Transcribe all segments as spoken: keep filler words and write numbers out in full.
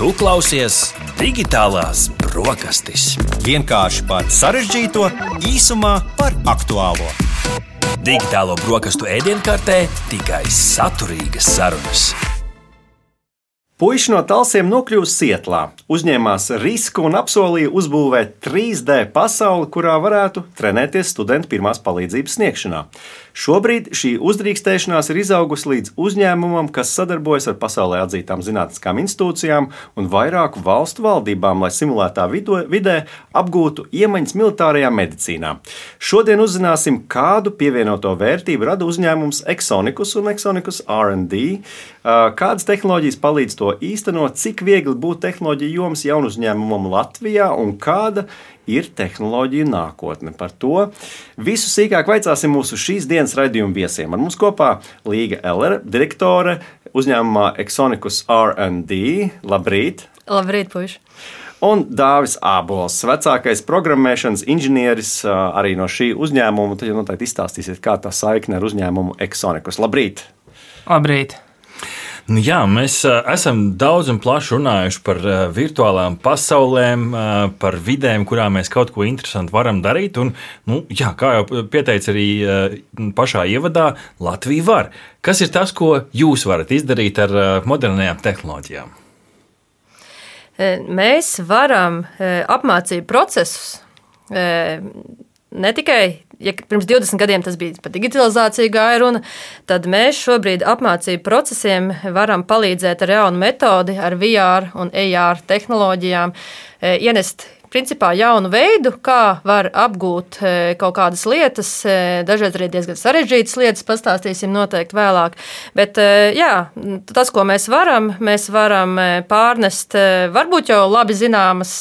Tu klausies Digitālās brokastis. Vienkārši par sarežģīto, īsumā par aktuālo. Digitālo brokastu ēdienkartē tikai saturīgas sarunas. Puiši no Talsiem nokļuva Sietlā, uzņēmās risku un apsolīja uzbūvēt trīs D pasauli, kurā varētu trenēties studenti pirmās palīdzības sniegšanā. Šobrīd šī uzdrīkstēšanās ir izaugusi līdz uzņēmumam, kas sadarbojas ar pasaulē atzītām zinātniskām institūcijām un vairāku valstu valdībām, lai simulētā vidē apgūtu iemaņas militārajā medicīnā. Šodien uzzināsim, kādu pievienoto vērtību rada uzņēmums Exonicus un Exonicus R and D, kādas tehnoloģijas palīdz to īstenot, cik viegli būt tehnoloģiju jomas jaunu uzņēmumam Latvijā un kāda ir tehnoloģiju nākotne. Par to visu sīkāk vaicāsim mūsu šīs dienas raidījuma viesiem. Ar mums kopā Līga Ellere, direktore uzņēmumā Exonicus R and D. Labrīt! Labrīt, puiši! Un Dāvis Ābols, vecākais programmēšanas inženieris arī no šī uzņēmuma. Tad jau noteikti izstāstīsiet, kā tā saikne ar uzņēmumu Exonicus. Labrīt! Labrīt! Nu jā, mēs esam daudz un plaši runājuši par virtuālām pasaulēm, par vidēm, kurā mēs kaut ko interesantu varam darīt. Un, nu, jā, kā jau pieteica arī pašā ievadā, Latvija var. Kas ir tas, ko jūs varat izdarīt ar modernajām tehnoloģijām? Mēs varam apmācību procesus ne tikai. Ja pirms divdesmit gadiem tas bija par digitalizāciju gāja runa, tad mēs šobrīd apmācību procesiem varam palīdzēt ar jaunu metodi, ar V R un A R tehnoloģijām, ienest principā jaunu veidu, kā var apgūt kaut kādas lietas, dažreiz arī diezgan sarežģītas lietas, pastāstīsim noteikti vēlāk. Bet jā, tas, ko mēs varam, mēs varam pārnest varbūt jau labi zināmas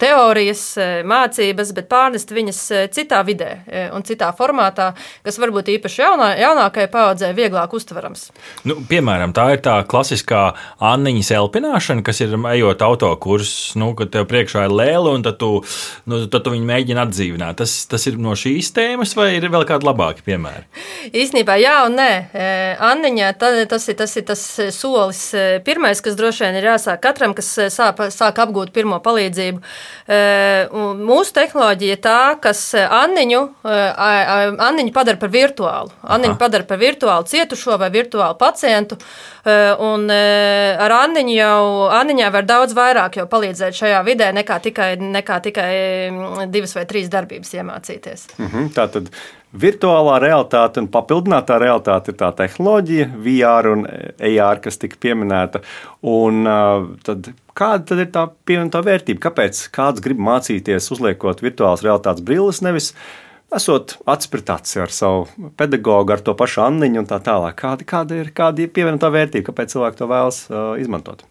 teorijas, mācības, bet pārnest viņas citā vidē un citā formātā, kas varbūt īpaši jaunā, jaunākajai paaudzē vieglāk uztverams. Nu, piemēram, tā ir tā klasiskā Anniņas elpināšana, kas ir ejot autokursus, nu, kad tev priekšā ir lēle, un tad tu, nu, tad tu viņu mēģini atdzīvināt. Tas, tas ir no šīs tēmas, vai ir vēl kādi labāki piemēri? Īstenībā jā un nē. Anniņā tas ir tas, ir tas solis pirmais, kas droši vien ir jāsāk katram, kas sāk, sāk apgūt pirmo palīdzību. Mūsu tehnoloģija ir tā, kas Anniņu, Anniņu padara par virtuālu. Anniņu padara par virtuālu cietušo vai virtuālu pacientu. Un ar Anniņu jau, Anniņā var daudz vairāk jau palīdzēt šajā vidē nekā tikai nekā tikai divas vai trīs darbības iemācīties. Mhm, tātad virtuālā realitāte un papildinātā realitāte ir tā tehnoloģija, V R un A R, kas tika pieminēta. Un tad, kāda tad ir tā pievienotā vērtība? Kāpēc kāds grib mācīties uzliekot virtuālas realitātes brilles, nevis esot acis pret aci ar savu pedagogu, ar to pašu Anniņu un tā tālāk? Kāda, kāda ir, kāda ir pievienotā vērtība? Kāpēc cilvēki to vēlas uh, izmantot?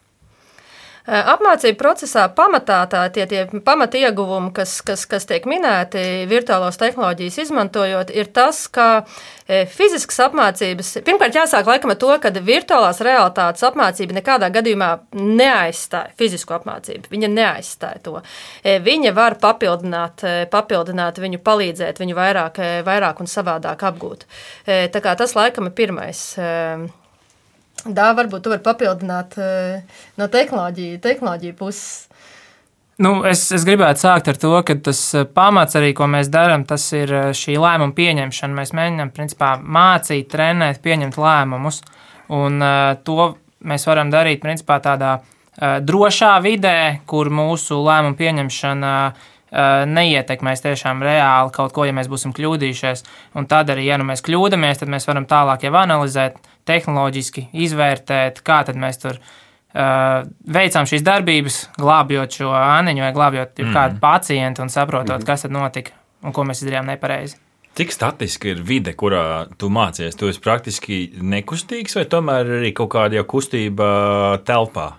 Apmācību procesā pamatā tā, tie, tie pamata ieguvumi, kas, kas, kas tiek minēti virtuālos tehnoloģijas izmantojot, ir tas, ka fiziskas apmācības, pirmkārt jāsāk laikam ar to, ka virtuālās realitātes apmācība nekādā gadījumā neaizstāja fizisku apmācību. Viņa neaizstāja to. Viņa var papildināt, papildināt viņu, palīdzēt viņu vairāk, vairāk un savādāk apgūt. Tā kā tas laikam ir pirmais. Dā, varbūt tu vari papildināt no tehnoloģiju, tehnoloģiju puses. Nu, es, es gribētu sākt ar to, ka tas pamats arī, ko mēs darām, tas ir šī lēmuma pieņemšana. Mēs mēģinām, principā, mācīt, trenēt, pieņemt lēmumus. Un uh, to mēs varam darīt, principā, tādā uh, drošā vidē, kur mūsu lēmuma pieņemšana uh, neietekmēs tiešām reāli kaut ko, ja mēs būsim kļūdījušies. Un tad arī, ja nu mēs kļūdamies, tad mēs varam tālāk jau analizēt, tehnoloģiski izvērtēt, kā tad mēs tur uh, veicām šīs darbības, glābjot šo Anniņu vai glābjot mm. kādu pacientu un saprotot, mm. kas tad notika un ko mēs izdarījām nepareizi. Cik statiski ir vide, kurā tu mācies? Tu esi praktiski nekustīgs vai tomēr arī kaut kāda jau kustība telpā?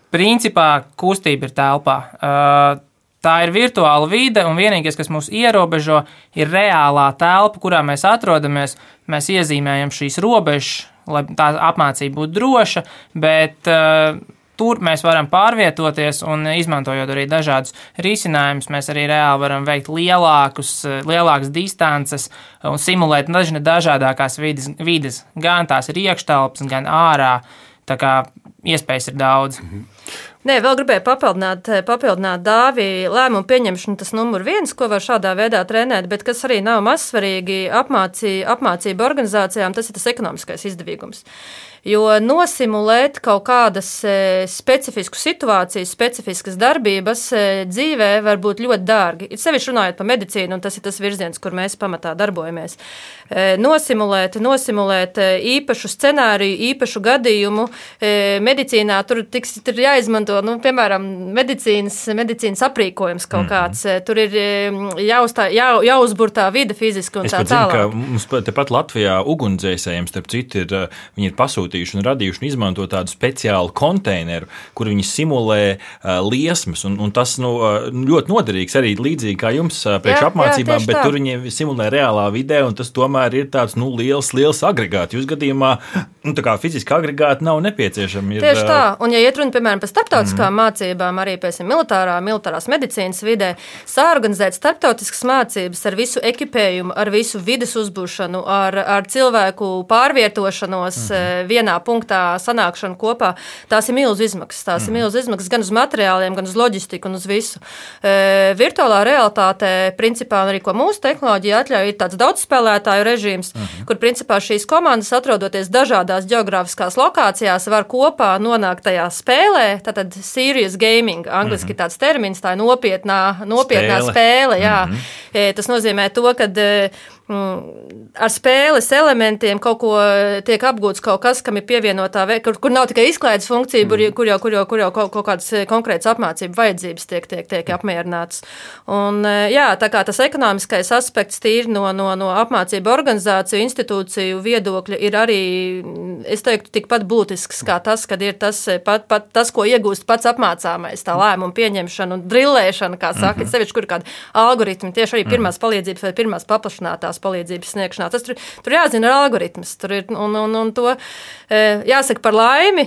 Principā kustība ir telpā. Uh, Tā ir virtuāla vide, un vienīgais, kas mūs ierobežo, ir reālā telpa, kurā mēs atrodamies. Mēs iezīmējam šīs robežas, lai tā apmācība būtu droša, bet uh, tur mēs varam pārvietoties un izmantojot arī dažādus risinājumus, mēs arī reāli varam veikt lielākus, lielākas distances un simulēt dažne dažādākās vides, vides. Gan tās ir iekštelpas, gan ārā. Tā kā iespējas ir daudz. Nē, vēl gribēju papildināt, papildināt Dāvi lēmumu pieņemšanu, tas numur viens, ko var šādā veidā trenēt, bet kas arī nav mazsvarīgi apmācī, apmācību organizācijām, tas ir tas ekonomiskais izdevīgums. Jo nosimulēt kaut kādas specifiskas situācijas, specifiskas darbības dzīvē var būt ļoti dārgi. Ir sevišķi runājot par medicīnu, un tas ir tas virziens, kur mēs pamatā darbojamies. Nosimulēt, nosimulēt īpašu scenāriju, īpašu gadījumu. Medicīnā tur tiks, tur jāizmanto, nu, piemēram, medicīnas, medicīnas aprīkojums kaut kāds. Mm. Tur ir jāuztā, jā, jāuzbur tā vide fiziski un es tā zinu, tālāk. Ka mums tepat Latvijā ugunsdzēsējiem, starp citu, ir, viņi ir pasūtījuši un radījuši un izmanto tādu speciālu konteineru, kur viņi simulē uh, liesmas, un, un tas nu, ļoti noderīgs arī līdzīgi kā jums uh, priekš jā, apmācībām, jā, bet tā. Tur viņi simulē reālā vidē, un tas tomēr ir tāds nu, liels, liels agregāts. Jūs gadījumā nu, tā kā fiziski agregāti nav nepieciešami. Ir, tieši tā, un ja iet runa, piemēram, par starptautiskām mm. mācībām, arī, piemēram, militārā, militārās medicīnas vidē, sāorganizēt starptautiskas mācības ar visu ekipējumu, ar visu vides uzbūšanu, ar, ar cilvēku pārvietošanos mm. vienā punktā sanākšanu kopā, tās ir milzu izmaksas. Tās mm. ir milzu izmaksas gan uz materiāliem, gan uz loģistiku un uz visu. E, virtuālā realitāte, principā, arī ko mūsu tehnoloģija atļauj, ir tāds daudzspēlētāju režīms, mm. kur, principā, šīs komandas, atrodoties dažādās geogrāfiskās lokācijās, var kopā nonākt tajā spēlē, tātad serious gaming, angliski mm. tāds termins, tā ir nopietnā, nopietnā spēle. spēle jā. Mm. E, tas nozīmē to, ka ar spēles elementiem kaut ko tiek apgūts kaut kas, kam ir pievienotā, kur, kur nav tikai izklaides funkcija, mm. kur jau, kur jau, kur jau kaut, kaut kādas konkrētas apmācību vajadzības tiek, tiek, tiek apmierināts. Un, jā, tā kā tas ekonomiskais aspekts tīri no, no, no apmācību organizāciju, institūciju viedokļa ir arī, es teiktu, tikpat būtisks kā tas, kad ir tas, pat, pat tas, ko iegūst pats apmācāmais, tā lēmuma pieņemšana un drillēšana, kā saka, mm-hmm. sevišķi, kur ir kādi algoritmi, tieši arī pirmās palīdzības vai pirmās paplašinātās palīdzības sniegšanā. Tas tur, tur jāzina ar algoritmus. Tur ir, un, un, un to jāsaka par laimi,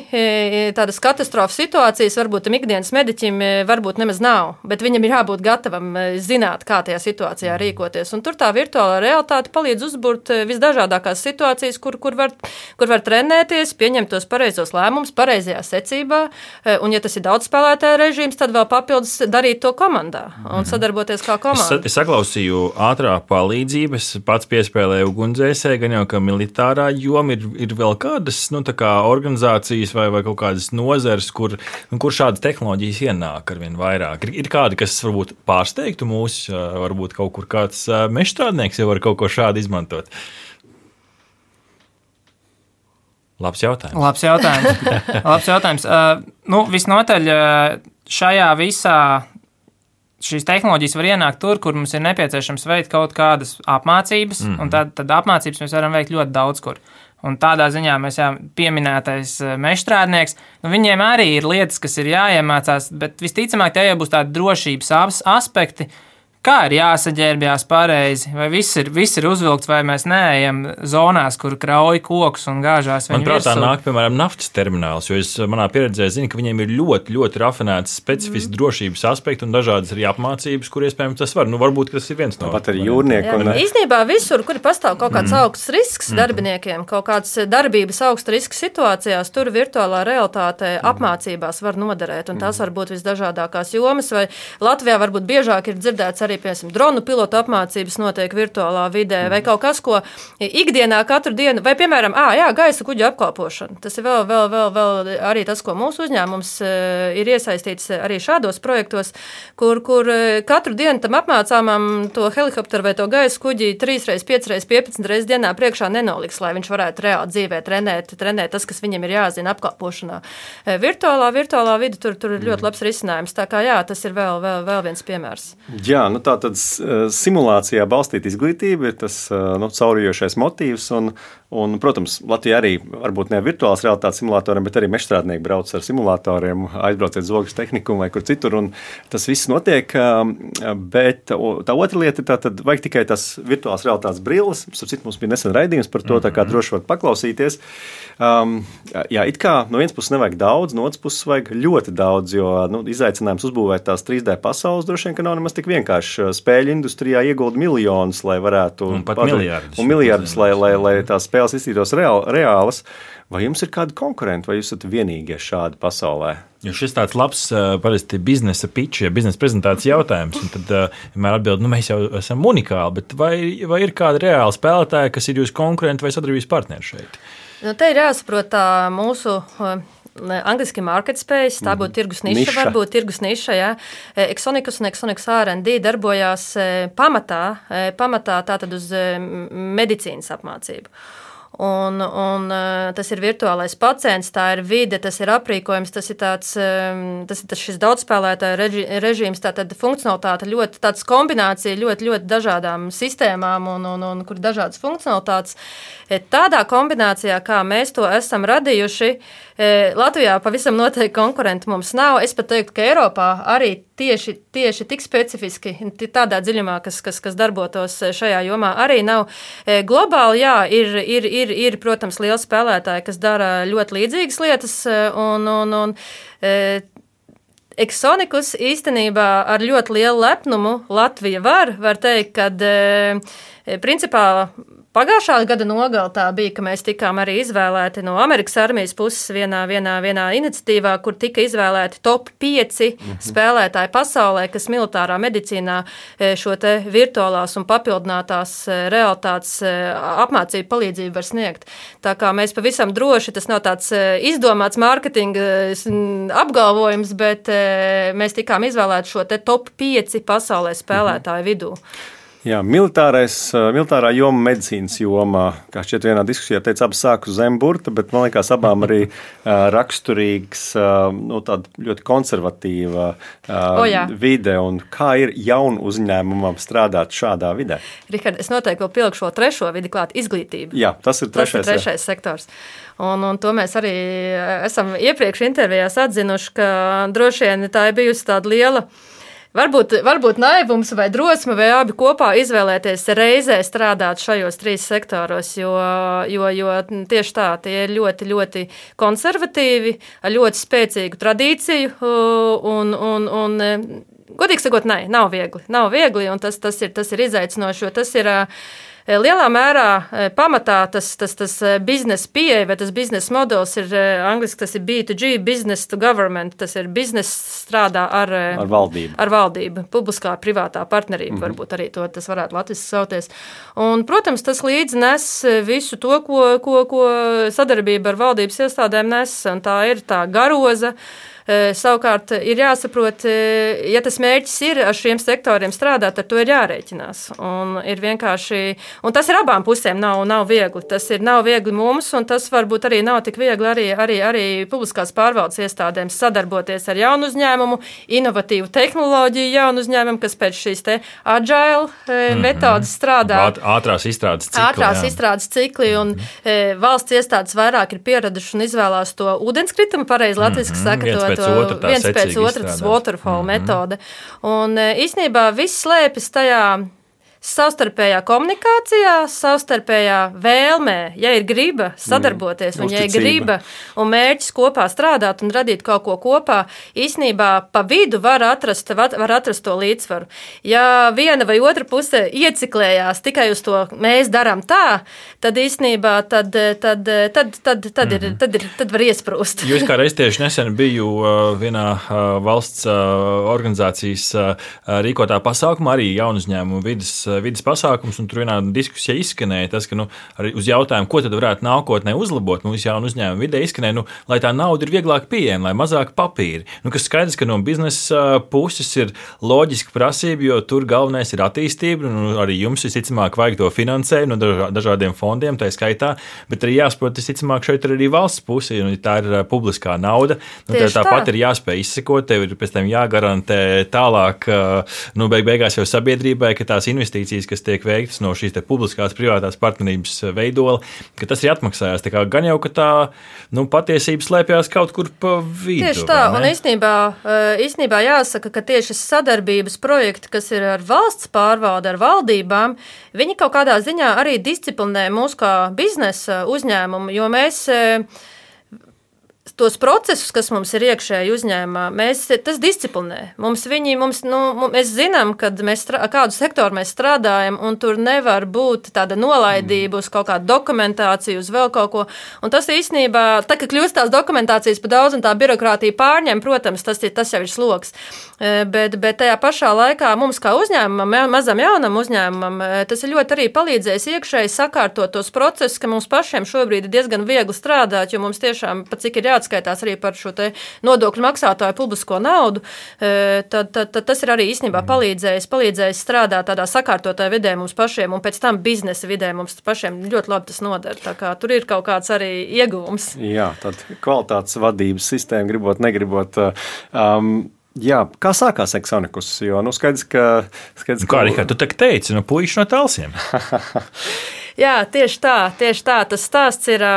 tādas katastrofas situācijas varbūt tam ikdienas mediķim varbūt nemaz nav, bet viņam ir jābūt gatavam zināt, kā tajā situācijā rīkoties. Un tur tā virtuālā realitāte palīdz uzburt visdažādākās situācijas, kur, kur, var, kur var trenēties, pieņemt tos pareizos lēmumus, pareizajā secībā, un ja tas ir daudz spēlētāju režīms, tad vēl papildus darīt to komandā un sadarboties kā komanda. Es, es saklausīju ātrā palīdzības, pats piespēlēju ugunsdzēsēju, gan jau, ka militārā joma ir, ir vēl kādas nu, kā organizācijas vai, vai kaut kādas nozares, kur, kur šādas tehnoloģijas ienāk arvien vairāk. Ir, ir kādi, kas varbūt pārsteigtu mūs, varbūt kaut kur kāds mežstrādnieks jau var kaut ko šādu izmantot. Labs jautājums. Labs jautājums. Labs jautājums. Uh, nu, visnotaļ šajā visā šīs tehnoloģijas var ienākt tur, kur mums ir nepieciešams veikt kaut kādas apmācības, mm-hmm. un tad, tad apmācības mēs varam veikt ļoti daudz kur. Un tādā ziņā mēs jau pieminētais mežstrādnieks, nu viņiem arī ir lietas, kas ir jāiemācās, bet visticamāk tie jau būs tādi drošības aspekti, kā ir jāsaģērbjās pareizi, vai viss ir, viss ir uzvilkts, vai mēs neejam zonās, kur krauj kokus un gāžās viņu Manuprāt, virsū. tā nāk, piemēram, naftas termināls, jo es manā pieredzē zinu, ka viņiem ir ļoti, ļoti rafinēts specifiski mm. drošības aspekti un dažādas arī apmācības, kur iespējams tas var. Nu, varbūt tas ir viens no. Pat arī jūrnieku. Un... Īstenībā visur, kur pastāv kaut kāds mm. augsts risks mm. darbiniekiem, kaut kāds darbības augsta riska situācijās, tur virtuālā realitāte mm. apmācībās var noderēt, un tās var būt visdažādākās jomas, vai Latvijā varbūt biežāk ir dzirdēts arī, piemēram, dronu pilotu apmācības notiek virtuālā vidē, vai kaut kas, ko ikdienā katru dienu, vai, piemēram, ā, jā, gaisa kuģu apkalpošana. Tas ir vēl, vēl, vēl, vēl arī tas, ko mūsu uzņēmums ir iesaistīts arī šādos projektos, kur, kur katru dienu tam apmācāmam to helikopteru vai to gaisa kuģi trīs reiz, piecas reiz, piecpadsmit reizes dienā priekšā nenoliks, lai viņš varētu reāli dzīvē trenēt, trenēt tas, kas viņam ir jāzina apkalpošanā. Virtuālā, virtuālā vide tur, tur ir ļoti labs risinājums, tā kā jā, tas ir vēl, vēl, vēl viens piemērs. Jā, nu tā tad simulācijā balstīta izglītība ir tas nu, caurījošais motīvs. Un, un, protams, Latvijā arī varbūt ne virtuālās realitātes simulatoriem, bet arī mežstrādnieki brauc ar simulatoriem, aizbrauciet Zogas tehnikumu vai kur citur. Tas viss notiek. Bet tā otra lieta ir tā, tad vajag tikai tās virtuālās realitātes brilles. Starp mums bija nesen raidījums par to, tā kā droši var paklausīties. Um, jā, it kā no vienas puses nevajag daudz, no otras puses vajag ļoti daudz, jo nu, izaicinājums uzbūvēt tās trīs D pasaules droši vien, ka nav nemaz tik vienkārši. Spēļu industrijā iegulda miljonus, lai varētu... Un pat miljardus. Un miljardus, lai, lai, lai tās spēles iztītos reāl, reālas. Vai jums ir kādi konkurenti, vai jūs esat vienīgie šādi pasaulē? Jo šis tāds labs, parasti biznesa pitch, ja biznesa prezentācijas jautājums, un tad vienmēr atbild, nu mēs jau esam unikāli, bet vai, vai ir kādi reāli spēlētāji, kas ir jūsu konkurenti vai sadarbības partneri šeit? Nu, te ir jāsaprot tā mūsu angliski market space, tā būtu tirgus niša, niša. varbūt tirgus niša, jā. Exonicus un Exonicus R and D darbojās pamatā, pamatā tātad uz medicīnas apmācību. Un, un tas ir virtuālais pacients, tā ir vide, tas ir aprīkojums, tas ir tāds, tas ir tas šis daudzspēlētāju reži, režīms, tā tad funkcionalitāte ļoti, tāds kombinācija ļoti, ļoti dažādām sistēmām un, un, un kur dažādas funkcionalitātes. Tādā kombinācijā, kā mēs to esam radījuši, Latvijā pavisam noteikti konkurenti mums nav. Es pat teiktu, ka Eiropā arī tieši, tieši tik specifiski tādā dziļumā, kas, kas, kas darbotos šajā jomā, arī nav. Globāli, jā, ir, ir, ir, ir, protams, lieli spēlētāji, kas dara ļoti līdzīgas lietas, un, un, un Exonicus īstenībā ar ļoti lielu lepnumu Latvija var, var teikt, kad principā pagājušā gada nogalē tā bija, ka mēs tikām arī izvēlēti no Amerikas armijas puses vienā, vienā, vienā iniciatīvā, kur tika izvēlēti top pieci mm-hmm. spēlētāji pasaulē, kas militārā medicīnā šo te virtuālās un papildinātās realitātes apmācību palīdzību var sniegt. Tā kā mēs pavisam droši, tas nav tāds izdomāts mārketinga apgalvojums, bet mēs tikām izvēlēti šo te top pieci pasaulē spēlētāju mm-hmm. vidū. Jā, militārais, militārā joma, medicīnas jomā, kā šķiet vienā diskusijā teica, abas sāku zem burta, bet man liekas abām arī raksturīgs, nu, tāda ļoti konservatīva o, vide, un kā ir jaunu uzņēmumam strādāt šādā vidē? Rihard, es noteikti vēl pilku šo trešo vidi klāt, izglītība. Jā, tas ir trešais, tas ir trešais sektors. Un, un to mēs arī esam iepriekš intervijās atzinuši, ka droši vien tā ir bijusi tāda liela Varbūt, varbūt naivums vai drosme vai abi kopā izvēlēties reizē strādāt šajos trīs sektoros, jo, jo, jo tieši tā, tie ir ļoti, ļoti konservatīvi, ar ļoti spēcīgu tradīciju un, un, un godīgi sakot, nē, nav viegli, nav viegli, un tas, tas ir, tas ir izaicinoši, jo tas ir lielā mērā pamatā tas, tas, tas biznesa pieeja vai tas biznesa modelis ir angliski, tas ir B to G, business to government, tas ir biznesa strādā ar, ar valdību, ar valdību, publiskā privātā partnerība, mm-hmm. varbūt arī to tas varētu latviski sauties. Un, protams, tas līdz nes visu to, ko, ko, ko sadarbība ar valdības iestādēm nes, un tā ir tā garoza. Savukārt ir jāsaprot, ja tas mērķis ir ar šiem sektoriem strādāt, ar to ir jārēķinās. Un ir vienkārši, un tas ir abām pusēm nav, nav viegli. Tas ir nav viegli mums, un tas varbūt arī nav tik viegli arī, arī, arī publiskās pārvaldes iestādēm sadarboties ar jaunu uzņēmumu, inovatīvu tehnoloģiju jaunu uzņēmumu, kas pēc šīs te agile mm-hmm. metodas strādā. Ātrās izstrādes cikli. Ātrās jā. izstrādes cikli, un mm-hmm. valsts iestādes vairāk ir pieraduši un izvēlās to ūdenskritumu, pareizi latviski mm-hmm. saka, to Otra, viens pēc otra, tas waterfall mm-hmm. metode. Un īstenībā viss slēpjas tajā savstarpējā komunikācijā, savstarpējā vēlmē, ja ir griba sadarboties, mm, un ja ir griba un mērķis kopā strādāt un radīt kaut ko kopā, īstenībā pa vidu var atrast, var atrast to līdzsvaru. Ja viena vai otra puse ieciklējās tikai uz to mēs darām tā, tad īstenībā tad, tad, tad, tad, tad, ir, tad, ir, tad var iesprūst. Jūs kā reiz tieši nesen biju vienā valsts organizācijas rīkotā pasākumā, arī jaunu uzņēmumu vidas vidas pasākums, un tur vienā diskusijā izskanēja tas, ka nu, arī uz jautājumu, ko tad varētu nākotnē uzlabot mūsu jaunu uzņēmumu vidē, izskanēja, nu, lai tā nauda ir vieglāk pieejama, lai mazāk papīri. Nu, kas skaidrs, ka no biznesa puses ir loģiska prasība, jo tur galvenais ir attīstība, nu, arī jums visticamāk vajag to finansējumu no dažādiem fondiem, tā skaitā, bet arī jāsaprot, visticamāk šeit ir arī valsts puse, un tā ir publiskā nauda, nu, tā tāpat tā. Ir jāspēj izsekot, tev ir pēc tam jāgarantē tālāk, nu, beig beigās jau sabiedrībai, ka tās investīcijas, kas tiek veiktas no šīs te publiskās privātās partnerības veidola, ka tas ir atmaksājās. Tā kā gan jau, ka tā nu, patiesība slēpjās kaut kur pa vidu. Tieši tā, un īstenībā, īstenībā jāsaka, ka tieši sadarbības projekti, kas ir ar valsts pārvalde, ar valdībām, viņi kaut kādā ziņā arī disciplinē mūs kā biznesa uzņēmumu, jo mēs tos procesus, kas mums ir iekšēji uzņēmumā, mēs, tas disciplinē. Mums viņi, mums, nu, mēs zinām, kad mēs, kādu sektoru mēs strādājam, un tur nevar būt tāda nolaidība uz kaut kādu dokumentāciju, uz vēl kaut ko. Un tas īstenībā, tā, ka kļūst tās dokumentācijas pa daudz un tā birokrātija pārņem, protams, tas, tas jau ir sloks. Bet, bet tajā pašā laikā mums kā uzņēmumam, mazam jaunam uzņēmumam, tas ir ļoti arī palīdzējis iekšēji sakārtot tos procesus, ka mums pašiem šobrīd ir diezgan viegli strādāt, jo mums tiešām, pat cik ir jāatskaitās arī par šo te nodokļu maksātāju publisko naudu, tad, tad, tad tas ir arī īstenībā palīdzējis, palīdzējis strādāt tādā sakārtotā vidē mums pašiem, un pēc tam biznesa vidē mums pašiem ļoti labi tas noder. Tā kā tur ir kaut kāds arī ieguvums. Jā, tad kvalitātes vadības sistēma, gribot, negribot. Um, Jā, kā sākās Exonikus? Jo, nu, skaidrs, ka... Skaidrs, kā, Rihard, tu tak teici, no puiši no Talsiem. Jā, tieši tā, tieši tā. Tas stāsts ir...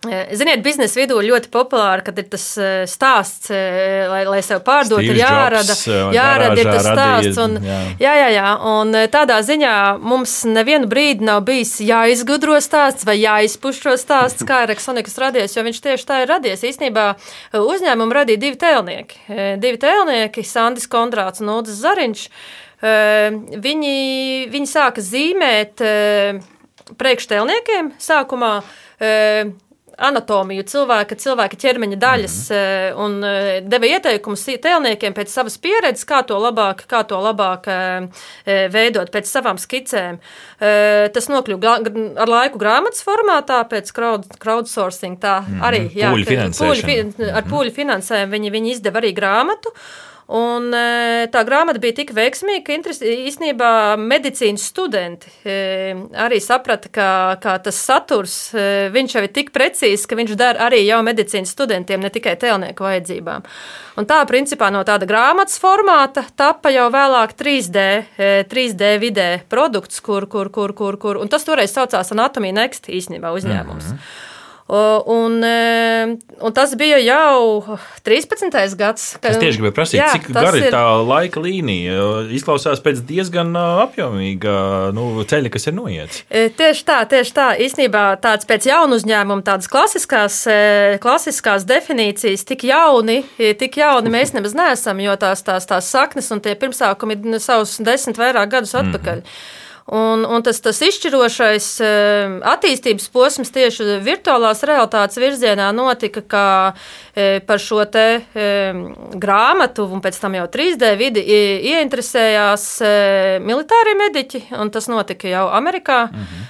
Ziniet, biznesa vidū ļoti populāri, kad ir tas stāsts, lai, lai sev pārdot, Steve ir jārada, Jobs, jārada ir tas radīja, stāsts. Un, jā. jā, jā, jā. Un tādā ziņā mums nevienu brīdi nav bijis jāizgudro stāsts vai jāizpuš šo stāsts, kā ir Exonikus radies, jo viņš tieši tā ir radies. Īstenībā uzņēmumu radīja divi tēlnieki. Divi tēlnieki, Sandis Kondrāts un Uldis Zariņš. Viņi, viņi sāka zīmēt priekštēlniekiem sākumā anatomiju cilvēka, cilvēka ķermeņa daļas mm-hmm. un deva ieteikumus tēlniekiem pēc savas pieredzes, kā to labāk, kā to labāk veidot pēc savām skicēm. Tas nokļuva ar laiku grāmatas formātā, pēc crowd, crowdsourcing, tā mm-hmm. arī, jā, pūļu finansēšana. Pūļu, ar pūļu finansējumu viņi, viņi izdeva arī grāmatu. Un tā grāmata bija tik veiksmīga, ka īstenībā medicīnas studenti arī saprata, ka, ka tas saturs, viņš jau ir tik precīzs, ka viņš der arī jau medicīnas studentiem, ne tikai tēlnieku vajadzībām. Un tā, principā, no tāda grāmatas formāta tapa jau vēlāk trīs D vidē produkts, kur, kur, kur, kur, kur, un tas toreiz saucās Anatomija Next īstenībā uzņēmums. Mm-hmm. Un, un tas bija jau trīspadsmitais gads. Kad, es tieši gribēju prasīt, jā, cik gara ir tā laika līnija. Izklausās pēc diezgan apjomīga nu, ceļa, kas ir noiets. Tieši tā, tieši tā. Īstenībā tāds pēc jaunu uzņēmumu, tādas klasiskās, klasiskās definīcijas tik jauni, tik jauni mēs nemaz neesam, jo tās, tās, tās saknes un tie pirmsākumi ir savus desmit vairāk gadus atpakaļ. Mm-hmm. Un, un tas, tas izšķirošais attīstības posms tieši virtuālās realitātes virzienā notika, kā par šo te grāmatu un pēc tam jau trīs D vidi ieinteresējās militārie mediķi, un tas notika jau Amerikā. Mhm.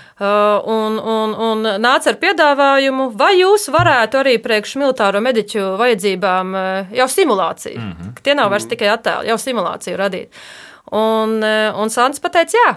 Un, un, un nāca ar piedāvājumu, vai jūs varētu arī priekš militāro mediķu vajadzībām jau simulāciju. Mhm. Tie nav vairs tikai attēli, jau simulāciju radīt. Un, un Sandis pateica, jā.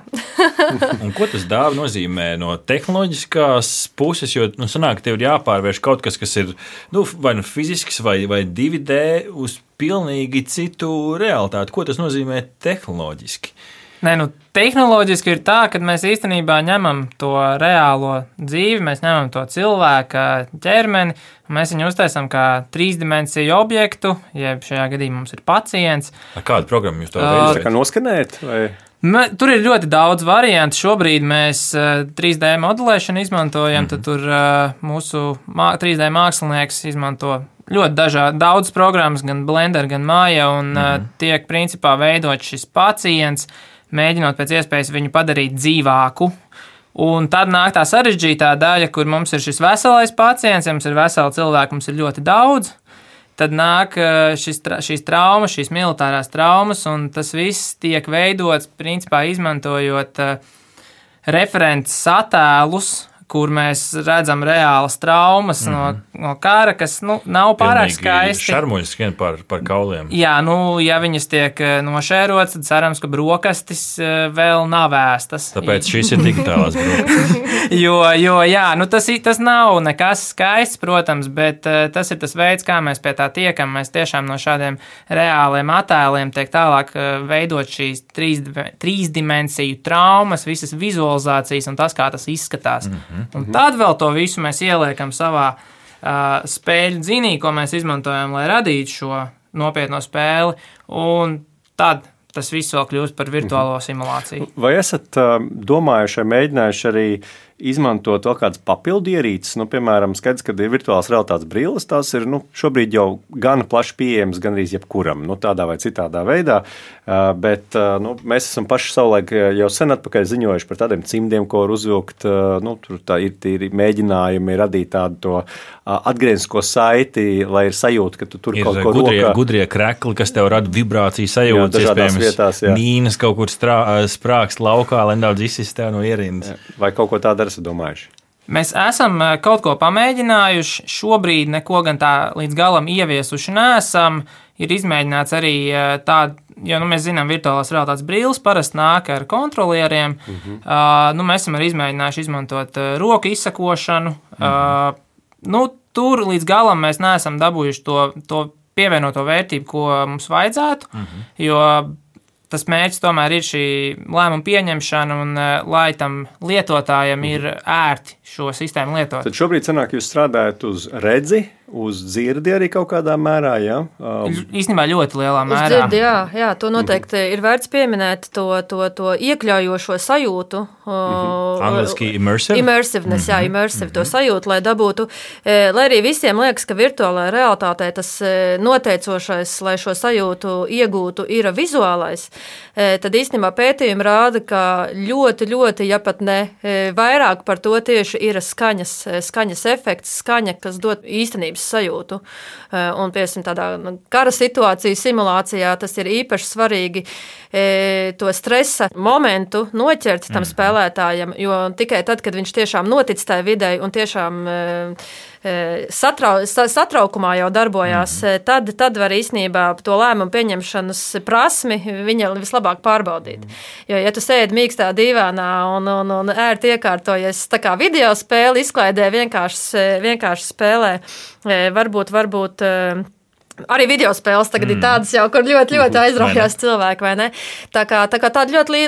Un ko tas dāva nozīmē no tehnoloģiskās puses? Jo, nu, sanāk, tev ir jāpārvērš kaut kas, kas ir nu, vai nu fizisks, vai, vai divi D uz pilnīgi citu realitāti. Ko tas nozīmē tehnoloģiski? Nē, nu, tehnoloģiski ir tā, ka mēs īstenībā ņemam to reālo dzīvi, mēs ņemam to cilvēka ķermeni, un mēs viņu uztaisam kā trīsdimensiju objektu, jeb šajā gadījumā mums ir pacients. Ar kādu programmu jūs to veicat? Uh, tā kā noskanēt? Vai? Tur ir ļoti daudz variantu. Šobrīd mēs trīs D modelēšanu izmantojam, mm-hmm. tad tur mūsu trīs D mākslinieks izmanto ļoti dažādi, daudz programmas, gan Blender, gan Maya, un mm-hmm. tiek principā veidot šis pacients, mēģinot pēc iespējas viņu padarīt dzīvāku. Un tad nāk tā sarežģītā daļa, kur mums ir šis veselais pacients, ja mums ir veseli cilvēki, mums ir ļoti daudz. Tad nāk šis, šīs traumas, šīs militārās traumas, un tas viss tiek veidots, principā izmantojot referents attēlus, kur mēs redzam reālas traumas mm-hmm. no, no kara, kas nu, nav pārāk skaisti. Šarmuļi skrien par, par kauliem. Jā, nu, ja viņas tiek nošērotas, tad cerams, ka brokastis vēl nav ēstas. Tāpēc šīs ir digitālās brokastis. jo, jo, jā, nu, tas, tas nav nekas skaists, protams, bet tas ir tas veids, kā mēs pie tā tiekam. Mēs tiešām no šādiem reāliem attēliem tiek tālāk veidot šīs trīs, trīsdimensiju traumas, visas vizualizācijas un tas, kā tas izskatās. Mm-hmm. Un tad vēl to visu mēs ieliekam savā uh, spēļu dzinī, ko mēs izmantojam, lai radītu šo nopietno spēli, un tad tas viss vēl kļūst par virtuālo simulāciju. Vai esat uh, domājuši, mēģinājuši arī izmantot vēl kādas papildu ierīces. Nu, piemēram, skaidrs, ka ir virtuālās realitātes brilles. Tās ir nu, šobrīd jau gan plaši pieejamas gan arī jebkuram, nu, tādā vai citādā veidā. Bet nu, mēs esam paši savulaik jau sen atpakaļ ziņojuši par tādiem cimdiem, ko var uzvilkt. Nu, tur tā ir, ir mēģinājumi radīt tādu to atgrieznisko saiti, lai ir sajūta, ka tu tur ir kaut ko gudrie, rokā. Gudrie krekli, kas tev rada vibrāciju sajūtas, iespējams, vietās, mīnas kaut kur strā, sprākst laukā, lai nedaudz izsist tev no ierindas. Vai kaut ko tādu esat domājuši? Mēs esam kaut ko pamēģinājuši, šobrīd neko gan tā līdz galam ieviesuši neesam. Ir izmēģināts arī tāda, jo nu, mēs zinām, virtuālās realitātes brilles parasti nāk ar kontrolieriem. Mm-hmm. Uh, nu, mēs esam arī izmēģinājuši izmantot uh, roku izsakošanu. Mm-hmm. Uh, nu, tur līdz galam mēs neesam dabūjuši to, to pievienoto vērtību, ko mums vajadzētu, mm-hmm. jo tas mērķis tomēr ir šī lēmuma pieņemšana un lai tam lietotājam ir ērti šo sistēmu lietot. Tad šobrīd sanāk, jūs strādājat uz redzi, uz dzirdi arī kaut kādā mērā, jā? Um. Īstenībā ļoti lielā mērā. Uz dzirdi, jā, jā, to noteikti mm-hmm. ir vērts pieminēt, to, to, to iekļaujošo sajūtu. Mm-hmm. Angliski immersive? Immersiveness, mm-hmm. jā, immersive mm-hmm. to sajūtu, lai dabūtu, lai arī visiem liekas, ka virtuālajā realitātē tas noteicošais, lai šo sajūtu iegūtu, ir vizuālais, tad īstenībā pētījumi rāda, ka ļoti, ļoti, ja pat ne vairāk par to tieši ir skaņas, skaņas efekts, skaņa, kas dod īstenības sajūtu. Un, piemēram, tādā kara situāciju simulācijā tas ir īpaši svarīgi to stresa momentu noķert tam spēlētājam, jo tikai tad, kad viņš tiešām notic tajā videi un tiešām satrau, satraukumā jau darbojās, mm. tad, tad var īstenībā to lēmumu pieņemšanas prasmi viņa vislabāk pārbaudīt. Mm. Jo, ja tu sēdi mīkstā dīvānā un, un, un ērti iekārtojies tā kā video spēli izklaidē, vienkārši, vienkārši spēlē, varbūt, varbūt arī video spēles tagad mm. ir tādas jau, kur ļoti, ļoti aizraujās cilvēki, vai ne? Tā kā, tā kā tāda ļoti,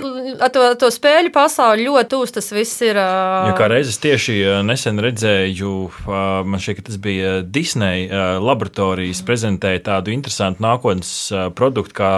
ar to, to spēļu pasauli ļoti tūs tas viss ir. Uh... Ja kā reizes tieši nesen redzēju, man šķiet, ka tas bija Disney laboratorijas prezentēja tādu interesantu nākotnes produktu kā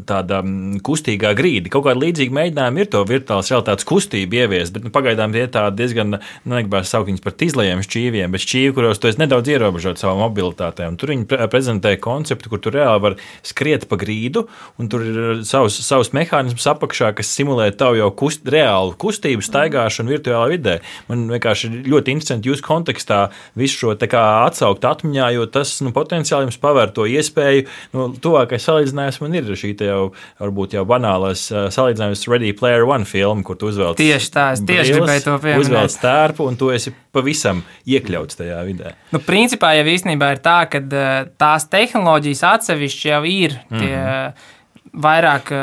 tāda kustīgā grīda. Kaut kāda līdzīga mēģinājuma ir to virtuālās realitātes kustību ieviest, bet nu, pagaidām tie tādi diezgan, negribētu saukt viņus par tizlajiem šķīviem, bet šķīvi, kuros tu esi nedaudz ierobežot savu mobilitātē. Un tur viņi prezentēja konceptu, kur tu reāli var skriet pa grīdu, un tur ir savs, savs mehānisms apakšā, kas simulē tavu jau kust, reālu kustību, staigāšanu virtuālā vidē. Man vienkārši ļoti interesanti jūsu kontekstā visu šo tā kā atsaukt atmiņā, jo tas nu, potenciāli jums pavēr to iespēju. Nu, tuvākais salīdzinājums man ir šī te jau, varbūt jau banālais salīdzinājums Ready Player One filmu, kur tu uzvelc tieši tā, es tieši gribēju to pieminēt. Uzvelc tērpu, un tu esi pavisam iekļauts tajā vidē. Nu, principā jau īstenībā ir tā, ka tās tehnoloģijas atsevišķi jau ir tie mm-hmm. vairāk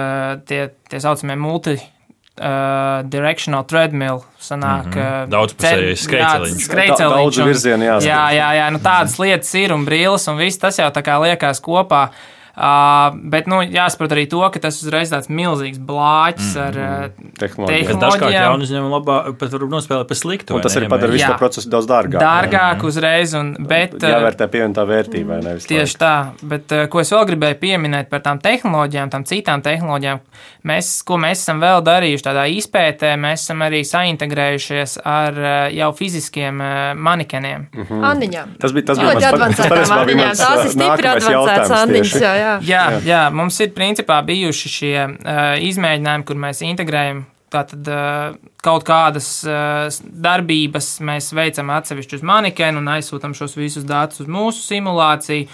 tie, tie saucamie multi uh, directional treadmill sanāk. Mm-hmm. Daudzpusējais skreiceliņš. Skreiceliņš. Daudz virzienu jāsaka. Jā, jā, jā, nu tādas lietas ir un brīles un viss tas jau tā kā liekas kopā. Uh, bet, nu, jāsaprot arī to, ka tas uzreiz tāds milzīgs blāķis mm, ar uh, tehnoloģijām. Kas dažkārt jaunu uzņēmumu labā pat var nospēlēt pa sliktu. Un tas arī padara visu to procesu daudz dārgāk. Dārgāk uzreiz, un, bet... Jāvērtē pievienotā vērtība, vai nevis tieši tā, bet ko es vēl gribēju pieminēt par tām tehnoloģijām, tām citām tehnoloģijām, mēs, ko mēs esam vēl darījuši tādā izpētē, mēs esam arī saintegrējušies ar jau fiziskiem manikeniem. Mm-hmm. Andiņām. Tas bija tas bija ļoti advancētām andiņām. Tās ir stipri advancētas andiņas, jā. Jā, jā, jā, mums ir principā bijuši šie uh, izmēģinājumi, kur mēs integrējam tātad, uh, kaut kādas uh, darbības, mēs veicam atsevišķi uz manikenu un aizsūtam šos visus datus uz mūsu simulāciju,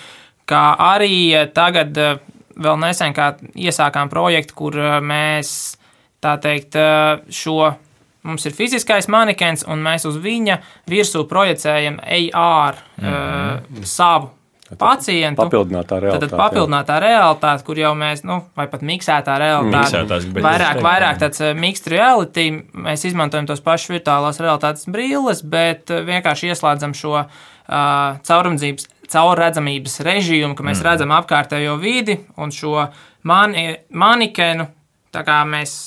kā arī uh, tagad uh, vēl nesen kā iesākām projektu, kur uh, mēs, tā teikt, uh, šo, mums ir fiziskais manikens un mēs uz viņa virsū projicējam A R mm-hmm. uh, savu pacientu. Papildinātā realitāte. Tad papildinātā realitāte, kur jau mēs, nu, vai pat miksētā realitāte. Miksētās, vairāk, vairāk tāds mixed reality. Mēs izmantojam tos pašus virtuālās realitātes brilles, bet vienkārši ieslēdzam šo uh, caurumdzības, caurredzamības režīmu, ka mēs mm. redzam apkārtējo vidi un šo mani, manikenu, tā kā mēs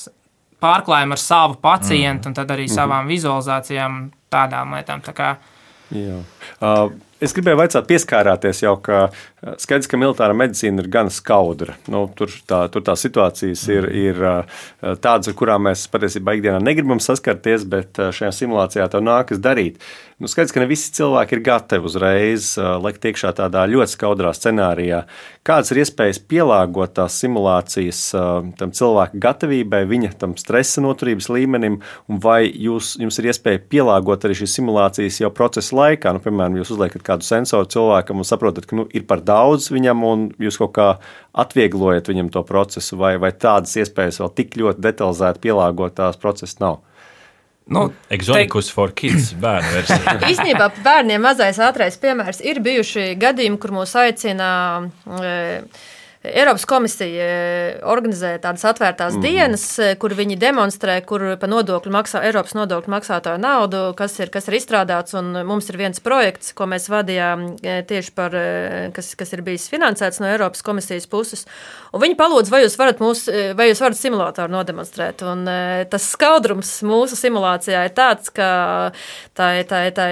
pārklājam ar savu pacientu mm. un tad arī mm. savām vizualizācijām tādām lietām. Tā kā... Jā. Uh, Es gribēju vaicāt, pieskārāties jau, ka Skaidrs, ka militārā medicīna ir gan skaudra. Nu, tur, tā, tur tā situācijas ir, ir tādas, ar kurām mēs patiesībā ikdienā negribam saskarties, bet šajā simulācijā tev nākas darīt. Nu, skaidrs, ka ne visi cilvēki ir gatavi uzreiz likt iekšā tādā ļoti skaudrā scenārijā. Kādas ir iespējas pielāgot tās simulācijas tam cilvēka gatavībai, viņa tam stresa noturības līmenim, un vai jūs, jums ir iespēja pielāgot arī šīs simulācijas jau procesa laikā? Nu, piemēram, jūs uzliekat kādu sensoru cilvēkam un saprotat, ka nu, ir par daudz viņam, un jūs kaut kā atvieglojat viņam to procesu, vai, vai tādas iespējas vēl tik ļoti detalizēti pielāgot tās procesas nav? Nu, Exoticus te... for kids bērnu versija. Īstenībā bērniem mazais ātrais piemērs ir bijuši gadījumi, kur mūs aicina e, Eiropas komisija organizē tādas atvērtās mm. dienas, kur viņi demonstrē, kur pa nodokļu maksā, Eiropas nodokļu maksātāju naudu, kas ir, kas ir izstrādāts, un mums ir viens projekts, ko mēs vadījām tieši par, kas, kas ir bijis finansēts no Eiropas komisijas puses, un viņi palūdz, vai jūs varat, mūs, vai jūs varat simulātoru nodemonstrēt, un tas skaudrums mūsu simulācijā ir tāds, ka tā, tā, tā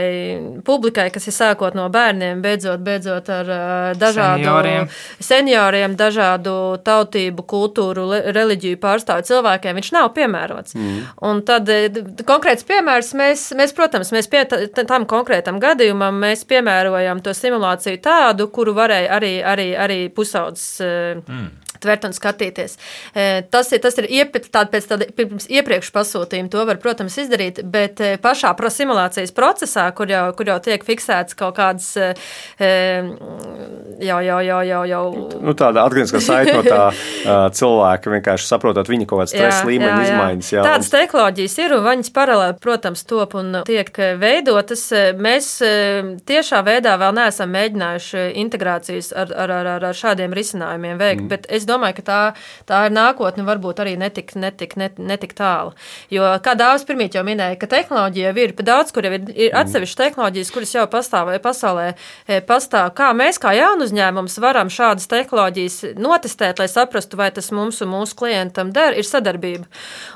publikai, kas ir sākot no bērniem, beidzot, beidzot ar dažādu senioriem, senioriem dažādu tautību, kultūru, reliģiju pārstāvju cilvēkiem, viņš nav piemērots. Mm. Un tad konkrēts piemērs, mēs, mēs protams, mēs pie tam konkrētam gadījumam, mēs piemērojam to simulāciju tādu, kuru varēja arī, arī, arī pusaudzes mm. tvert un skatīties. Tas ir, tas ir iep, tād, pēc tāda pirms iepriekš pasūtījuma, to var, protams, izdarīt, bet pašā simulācijas procesā, kur jau, kur jau tiek fiksēts kaut kādas jau, jau, jau, jau, jau... Nu, tāda atgriezniskā saite no tā cilvēka, vienkārši saprotot viņa kaut kāds stresa līmeņa izmaiņas. Jā. Tādas tehnoloģijas ir, un viņas paralēli, protams, top un tiek veidotas. Mēs tiešā veidā vēl neesam mēģinājuši integrācijas ar, ar, ar, ar šādiem risinājumiem veikt, mm. bet es domāju, ka tā, tā ir nākotne, varbūt arī netik, netik, net, netik tālu. Jo, kā Dāvis pirmīt jau minēja, ka tehnoloģija ir daudz, kur jau ir, ir atsevišķi tehnoloģijas, kuras jau pastāv pasaulē pastāv. Kā mēs, kā jaunu uzņēmums, varam šādas tehnoloģijas notestēt, lai saprastu, vai tas mums un mūsu klientam der, ir sadarbība.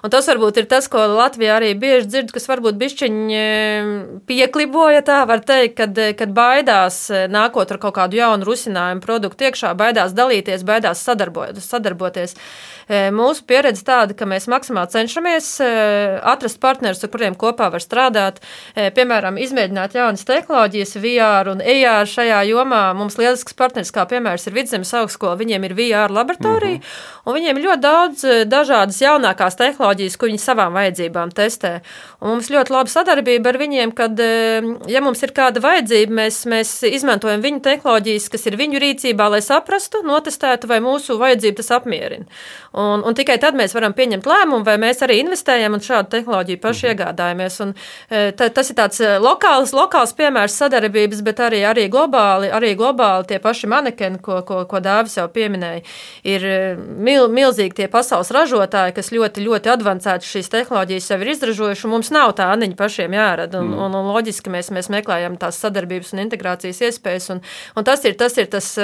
Un tas varbūt ir tas, ko Latvijā arī bieži dzird, kas varbūt bišķiņi piekliboja, tā var teikt, kad, kad baidās nākot ar kaut kādu jaunu rusinājumu produktu iekšā, baidās dalīties, baidās sadarboties. sadarboties. Mūsu pieredze tāda, ka mēs maksimāli cenšamies atrast partnerus, ar kuriem kopā var strādāt, piemēram, izmēģināt jaunas tehnoloģijas, V R un E R šajā jomā. Mums lielisks partneris, kā piemērs, ir Vidzemes augstskola, viņiem ir V R laboratorija, mm-hmm. un viņiem ir ļoti daudz dažādas jaunākās tehnoloģijas, ko viņi savām vajadzībām testē. Un mums ļoti laba sadarbība ar viņiem, kad, ja mums ir kāda vajadzība, mēs, mēs izmantojam viņu tehnoloģijas, kas ir viņu rīcībā, lai saprastu, notestētu, vai mūsu vajadzību tas apmierina. Un, un tikai tad mēs varam pieņemt lēmumu, vai mēs arī investējam un šādu tehnoloģiju paši iegādājamies. Un, ta, tas ir tāds lokāls, lokāls piemērs sadarbības, bet arī, arī, globāli, arī globāli tie paši manekeni, ko, ko, ko Dāvis jau pieminēja, ir mil, milzīgi tie pasaules ražotāji, kas ļoti, ļoti advancēti šīs tehnoloģijas jau ir izražojuši, un mums nav tā aniņa pašiem jārada. Un, mm. un, un loģiski mēs, mēs meklējam tās sadarbības un integrācijas iespējas, un, un tas ir tas, ir tas,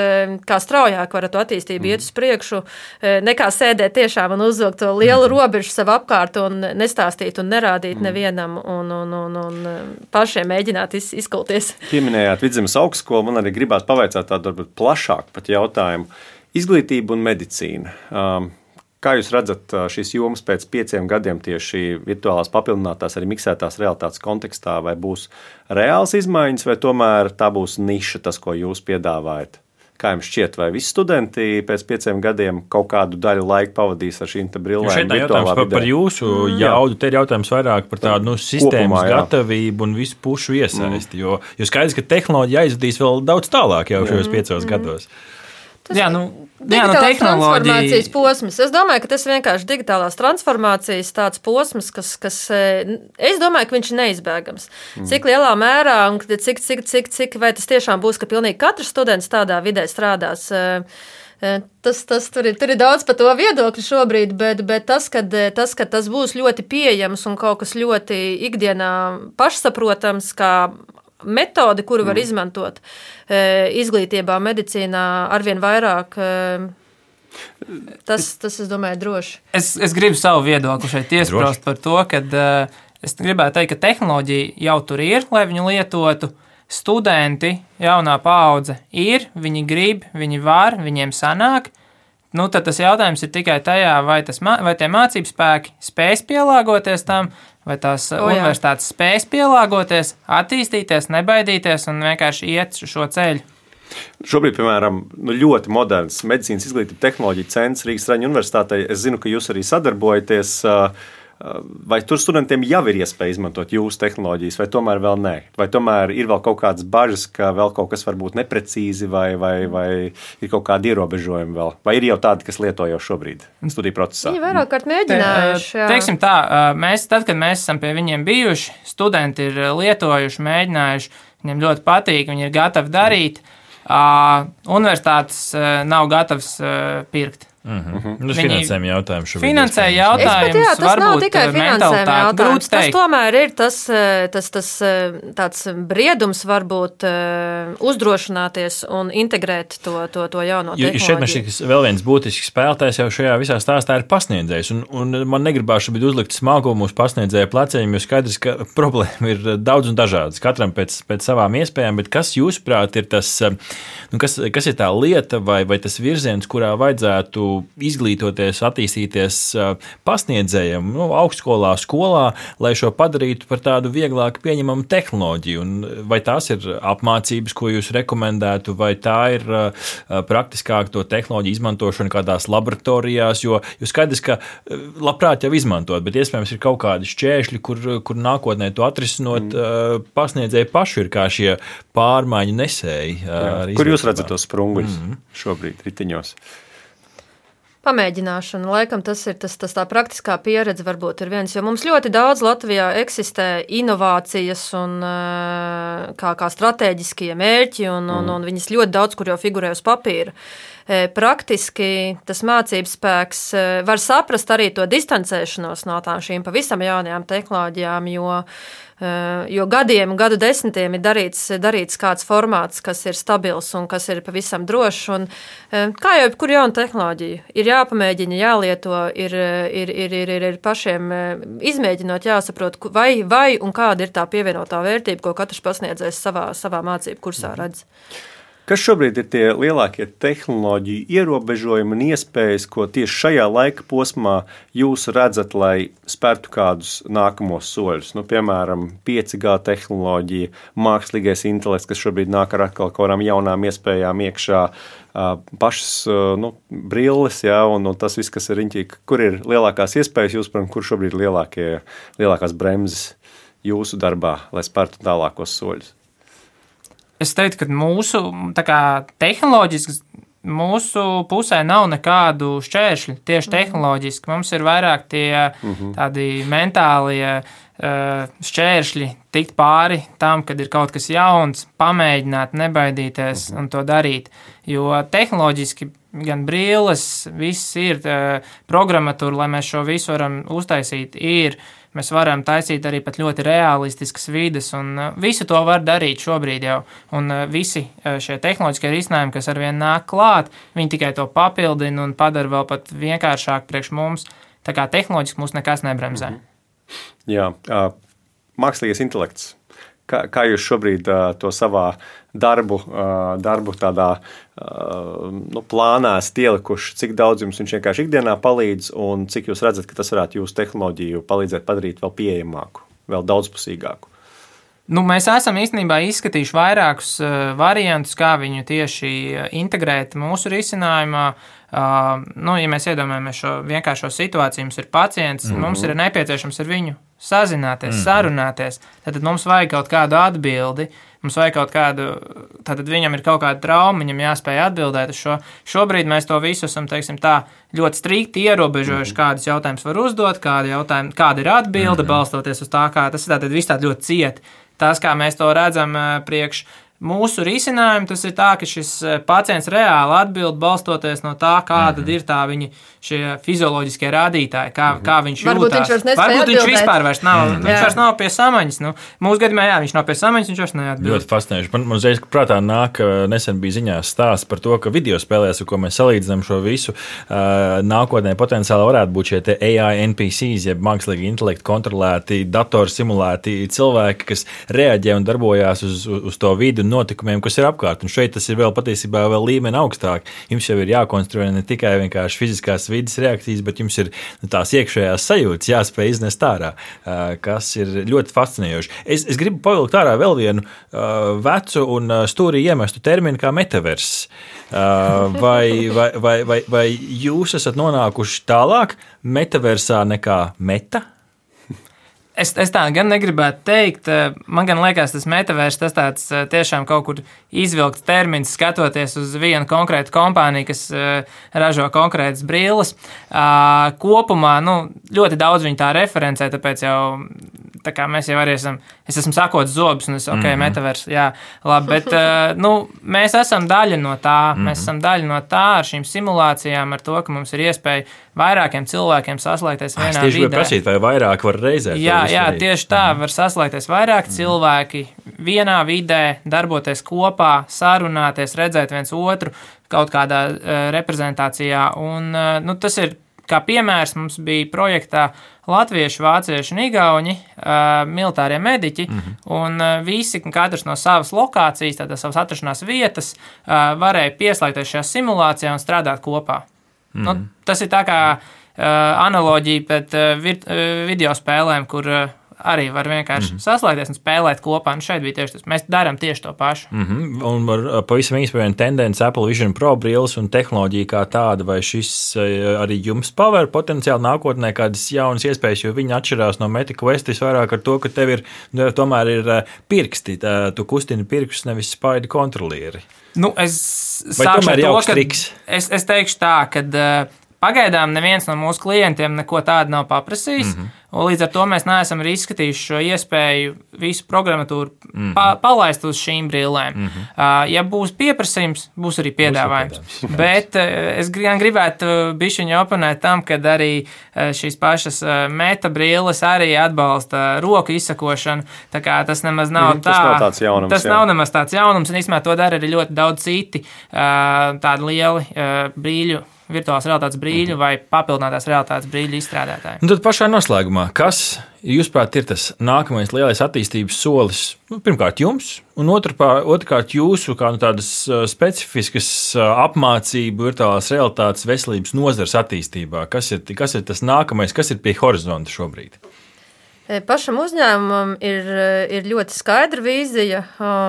kā straujāk var to attīstību mm. iet uz priekšu, nekā sēdēt tiešām un uzvilkt to lielu robežu sev apkārt un nestāstīt un nerādīt mm. nevienam un, un, un, un pašiem mēģināt iz, izkulties. Pieminējāt Vidzemes augstskolu, man arī gribās pavaicāt tādu varbūt plašāku pat jautājumu. Izglītība un medicīna. Kā jūs redzat šīs jomas pēc pieciem gadiem tieši virtuālās papildinātās, arī miksētās realitātes kontekstā, vai būs reāls izmaiņas, vai tomēr tā būs niša, tas, ko jūs piedāvājat? Kā jums šķiet, vai visi studenti pēc pieciem gadiem kaut kādu daļu laika pavadīs ar šīm brillēm? Šeit ir jautājums par, par jūsu jaudu, te ir jautājums vairāk par tādu nu, sistēmas Kopumā, gatavību un visu pušu iesaisti, mm. jo, jo skaidrs, ka tehnoloģija aizvadīs vēl daudz tālāk jau šajos piecos mm. gados. Tas jā, nu, jā, nu, transformācijas posms. Es domāju, ka tas ir vienkārši digitālās transformācijas tāds posms, kas, kas es domāju, ka viņš ir neizbēgams. Mm. Cik lielā mērā un cik, cik, cik, cik, vai tas tiešām būs, ka pilnīgi katrs students tādā vidē strādās. Tas, tas, tur, ir, tur ir daudz par to viedokļu šobrīd, bet, bet tas, kad, tas, kad tas būs ļoti pieejams un kaut kas ļoti ikdienā pašsaprotams, kā metodi, kuru var mm. izmantot izglītībā, medicīnā arvien vairāk. Tas, tas es domāju, droši. Es, es gribu savu viedokli šeit iesprost par to, ka es gribētu teikt, ka tehnoloģija jau tur ir, lai viņu lietotu. studenti, jaunā paudze ir, viņi grib, viņi var, viņiem sanāk. Nu, tad tas jautājums ir tikai tajā, vai, tas, vai tie mācību spēki spēs pielāgoties tam, vai tās o, universitātes spēs pielāgoties, attīstīties, nebaidīties un vienkārši iet šo ceļu. Šobrīd, piemēram, nu, ļoti moderns medicīnas izglītība tehnoloģija centrs Rīgas Traņu universitātei. Es zinu, ka jūs arī sadarbojaties. Vai tur studentiem jau ir iespēja izmantot jūsu tehnoloģijas, vai tomēr vēl nē? Vai tomēr ir vēl kaut kādas bažas, ka vēl kaut kas var būt neprecīzi, vai, vai, vai ir kaut kādi ierobežojumi vēl? Vai ir jau tādi, kas lieto jau šobrīd studiju procesā? Viņi vairāk kārt mēģinājuši. Te, teiksim tā, mēs, tad, kad mēs esam pie viņiem bijuši, studenti ir lietojuši, mēģinājuši, viņiem ļoti patīk, viņi ir gatavi darīt. Universitātes nav gatavs pirkt. Mm-hmm. Nu, finansējuma jautājums šobrīd. Finansējuma jautājums jā, tas varbūt nav tikai finansējuma jautājums. Tas teikt. tomēr ir tas, tas, tas tāds briedums varbūt uzdrošināties un integrēt to, to, to jauno tehnoloģiju. Šeit man šķiet, ka vēl viens būtisks spēlētājs jau šajā visā stāstā ir pasniedzējs. Un, un man negribās šobrīd uzlikt smagumu uz pasniedzēja pleciem, jo skaidrs, ka problēma ir daudz un dažādas. Katram pēc, pēc savām iespējām, bet kas jūsuprāt ir tas, nu, kas, kas ir tā lieta vai, vai tas virziens, kurā vajadzētu izglītoties, attīstīties pasniedzējiem, nu, augstskolā, skolā, lai šo padarītu par tādu vieglāk pieņemamu tehnoloģiju. Un vai tās ir apmācības, ko jūs rekomendētu, vai tā ir praktiskāk to tehnoloģiju izmantošana kādās laboratorijās, jo, jo skaidrs, ka labprāt jau izmantot, bet iespējams ir kaut kādi šķēršļi, kur, kur nākotnē to atrisinot, mm. pasniedzēji paši ir kā šie pārmaiņu nesēji. Kur jūs redzat tos sprunguļus mm. šobrīd ritiņos? Pamēģināšana, laikam tas ir tas, tas tā praktiskā pieredze varbūt ir viens, jo mums ļoti daudz Latvijā eksistē inovācijas un kā, kā stratēģiskie mērķi un, un, un viņas ļoti daudz, kur jau figurē uz papīra. Praktiski tas mācības spēks var saprast arī to distancēšanos no tām šīm pavisam jaunajām tehnoloģijām, jo jo gadiem, gadu desmitiem ir darīts, darīts kāds formāts, kas ir stabils un kas ir pavisam drošs. Un, kā jau jebkura jauna tehnoloģija, ir jāpamēģina, jālieto, ir, ir, ir, ir, ir, ir pašiem izmēģinot, jāsaprot, vai, vai un kāda ir tā pievienotā vērtība, ko katrs pasniedzējs savā, savā mācību kursā redz. Kas šobrīd ir tie lielākie tehnoloģiju ierobežojumi un iespējas, ko tieši šajā laika posmā jūs redzat, lai spērtu kādus nākamos soļus? Nu, piemēram, pieci G tehnoloģija, mākslīgais intelekts, kas šobrīd nāk ar atkal kaut kādām jaunām iespējām iekšā, pašas nu, brilles, jā, un, un tas viss, kas ir riņķī. Kur ir lielākās iespējas jūs, kur šobrīd ir lielākie, lielākās bremzes jūsu darbā, lai spērtu tālākos soļus? Es teiktu, ka mūsu kā, tehnoloģiski mūsu pusē nav nekādu šķēršļu, tieši tehnoloģiski. Mums ir vairāk tie tādi mentālie šķēršļi tikt pāri tam, kad ir kaut kas jauns, pamēģināt, nebaidīties un to darīt. Jo tehnoloģiski gan brilles, viss ir programmatūra, lai mēs šo visu varam uztaisīt, ir. Mēs varam taisīt arī pat ļoti realistiskas vides, un visu to var darīt šobrīd jau. Un visi šie tehnoloģiskie risinājumi, kas arvien nāk klāt, viņi tikai to papildina un padara vēl pat vienkāršāk priekš mums. Tā kā tehnoloģiski mūs nekas nebremzē. Jā, mākslīgais intelekts. Kā, kā jūs šobrīd uh, to savā darbu, uh, darbu tādā uh, nu, plānā esat ielikuši, cik daudz jums viņš vienkārši ikdienā palīdz un cik jūs redzat, ka tas varētu jūsu tehnoloģiju palīdzēt padarīt vēl pieejamāku, vēl daudzpusīgāku? Nu, mēs esam īstenībā izskatījuši vairākus uh, variantus, kā viņu tieši integrēt mūsu risinājumā. Uh, nu, ja mēs iedomājamies šo vienkāršo situāciju, mums ir pacients, mm-hmm. mums ir nepieciešams ar viņu sazināties, mm-hmm. sarunāties, tad mums vajag kaut kādu atbildi, mums vajag kaut kādu, tad viņam ir kaut kāda trauma, viņam jāspēj atbildēt uz šo. Šobrīd mēs to visu esam, teiksim tā, ļoti strikti ierobežojuši, mm-hmm. kādus jautājumus var uzdot, kādi jautājumi, kāda ir atbilde, mm-hmm. balstoties uz tā, kā tas ir tātad viss tādi ļoti cieti. Tas, kā mēs to redzam priekš mūsu risinājumi tas ir tā, ka šis pacients reāli atbild balstoties no tā, kāda mm-hmm. ir tā viņa šie fizioloģiskie rādītāji, kā, mm-hmm. kā viņš Varbūt jūtās. Viņš Varbūt atbildēt. viņš vispār vairs nav, Mm. viņš vairs nav pie samaņas. Nu, mūsu gadījumā, jā, viņš nav pie samaņas, viņš vairs neatbild. Ļoti fascinējoši. Man, man uzreiz prātā nāk, nesen bija ziņās stāsts par to, ka video spēlēs, ar ko mēs salīdzinām šo visu, uh, nākotnē potenciāli varētu būt šie A I N P Cs, jeb mākslīgi intelektu kontrolēti, datoru simulēti cilvēki, kas reaģē un darbojās uz, uz, uz to vidu un notikumiem, kas ir apkārt. Un šeit tas ir vēl patiesībā vēl līmeni augstāk. Jums jau ir jākonstruē ne tikai vienkārši fiziskās vidas reakcijas, bet jums ir tās iekšējās sajūtas jāspēj iznest ārā, kas ir ļoti fascinējoši. Es, es gribu pavilkt ārā vēl vienu uh, vecu un stūrī iemestu terminu kā metaverss. Uh, vai, vai, vai, vai, vai jūs esat nonākuši tālāk metaversā nekā meta? Es, es tā gan negribētu teikt. Man gan liekas, tas metavērs tas tāds tiešām kaut kur izvilkts termins, skatoties uz vienu konkrētu kompāniju, kas ražo konkrētas brilles. Kopumā nu, ļoti daudz viņi tā referencē, tāpēc jau tā kā mēs jau arī esam, es esmu sakots zobus, un es, ok, mm-hmm. metavērs, jā, labi, bet nu, mēs esam daļa no tā, mm-hmm. mēs esam daļa no tā ar šīm simulācijām, ar to, ka mums ir iespēja vairākiem cilvēkiem saslēgties vienā vidē. Es tieši gribēju prasīt, vai vairāk var reizē. Jā, jā, tieši tā, var saslēgties vairāk cilvēki vienā vidē, darboties kopā, sarunāties, redzēt viens otru kaut kādā uh, reprezentācijā. Un, uh, nu, tas ir, kā piemērs, mums bija projektā latvieši, vācieši un igauņi, uh, militārie mediķi, mm-hmm. un uh, visi, katrs no savas lokācijas, tātad savas atrašanās vietas, uh, varēja pieslēgties šajā simulācijā un strādāt kopā. Mm-hmm. Nu, tas ir tā kā uh, analoģija pēc uh, vir, uh, video spēlēm, kur uh, arī var vienkārši mm-hmm. saslēgties un spēlēt kopā. Un šeit bija tieši tas. Mēs darām tieši to pašu. Mm-hmm. Un var pavisam īsti par vienu tendenci Apple Vision Pro brilles un tehnoloģiju kā tāda, vai šis arī jums paver potenciāli nākotnē kādas jaunas iespējas, jo viņi atšķirās no Meta Quest vairāk ar to, ka tev ir, tomēr ir pirksti, tā, tu kustini pirkstus, nevis spaidi kontrolieri. Nu, es vai tomēr jauks triks? Es, es teikšu tā, ka uh, pagaidām neviens no mūsu klientiem neko tādu nav paprasījis. Mm-hmm. Līdz ar to mēs neesam arī izskatījuši šo iespēju visu programmatūru mm-hmm. pa, palaist uz šīm brillēm. Mm-hmm. Uh, ja būs pieprasījums, būs arī piedāvājums. Būs piedāvājums. Bet uh, es gan gribētu bišķiņu oponēt tam, ka arī uh, šīs pašas uh, meta brilles arī atbalsta roku izsakošanu. Tā kā tas nemaz nav mm, tā. Tas nav tāds jaunums. Tas jā. nav nemaz tāds jaunums, un īstenībā to dara arī ļoti daudz citi uh, tādi lieli uh, brīļu virtuālās realitātes brīļu vai papildinātās realitātes brīļu izstrādātāji. Un tad pašā noslēgumā, kas, jūsuprāt, ir tas nākamais lielais attīstības solis? Nu, pirmkārt, jums, un otrpār, otrkārt, jūsu kā nu, tādas specifiskas apmācību virtuālās realitātes veselības nozares attīstībā. Kas ir, kas ir tas nākamais, kas ir pie horizonta šobrīd? Pašam uzņēmumam ir, ir ļoti skaidra vīzija.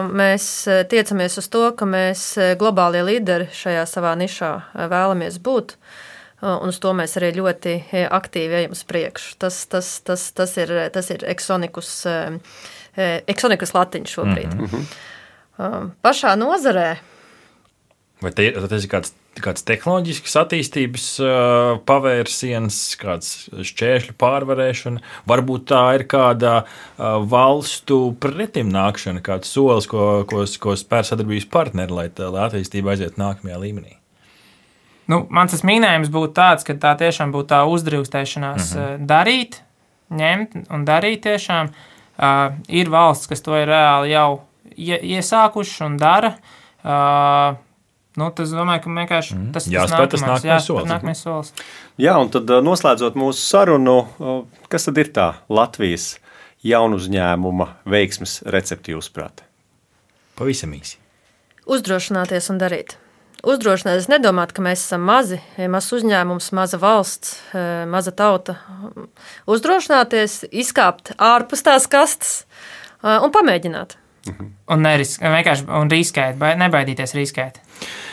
Mēs tiecamies uz to, ka mēs globālie līderi šajā savā nišā vēlamies būt. Un uz to mēs arī ļoti aktīvi ejam uz priekšu. Tas, tas, tas, tas ir, tas ir Exonikus, Exonikus latiņš šobrīd. Mm-hmm. Pašā nozarē. Vai te, tas ir kāds kāds tehnoloģisks attīstības uh, pavērsiens, kāds šķēršļu pārvarēšana, varbūt tā ir kāda uh, valstu pretimnākšana, kāds solis, ko, ko, ko spēr sadarbības partneri, lai, tā, lai attīstība aiziet nākamajā līmenī. Nu, mans tas minējums būtu tāds, ka tā tiešām būtu tā uzdrīkstēšanās mm-hmm. darīt, ņemt un darīt tiešām. Uh, ir valsts, kas to ir reāli jau iesākuši un dara. Uh, Nu, tas, domāju, ka vienkārši mm. tas, jā, tas, tas nākamais, nākamais jā, solis. nākamais solis. Jā, un tad noslēdzot mūsu sarunu, kas tad ir tā Latvijas jaunu uzņēmuma veiksmes recepte jūsuprāt? Pavisam īsi. Uzdrošināties un darīt. Uzdrošināties nedomāt, ka mēs esam mazi, mazs uzņēmums, maza valsts, maza tauta. Uzdrošināties, izkāpt ārpus tās kastes un pamēģināt. Mhm. Un, neris, vienkārši, un riskēt, nebaidīties riskēt.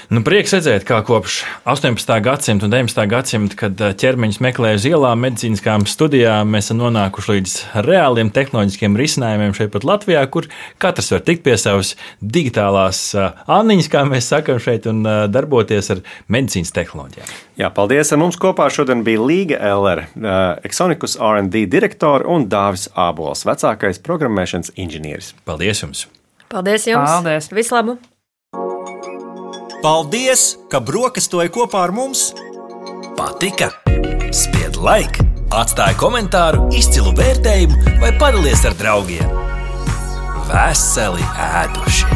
Nu, prieks redzēt, kā kopš astoņpadsmitā gadsimta un deviņpadsmitā gadsimta, kad ķermeņus meklē uz ielām, medicīniskām studijām, mēs esam nonākuši līdz reāliem tehnoloģiskiem risinājumiem šeit pat Latvijā, kur katrs var tikt pie savas digitālās anniņas, kā mēs sakam šeit, un darboties ar medicīnas tehnoloģijām. Jā, paldies. Ar mums kopā šodien bija Līga Ellere, Exonikus R and D direktore un Dāvis Ābols, vecākais programmēšanas inženieris. Paldies jums! Paldies jums! Paldies! Vislabāk! Paldies, ka brokastoji kopā ar mums! Patika? Spied like, atstāj komentāru, izcilu vērtējumu vai padalies ar draugiem. Veseli ēduši!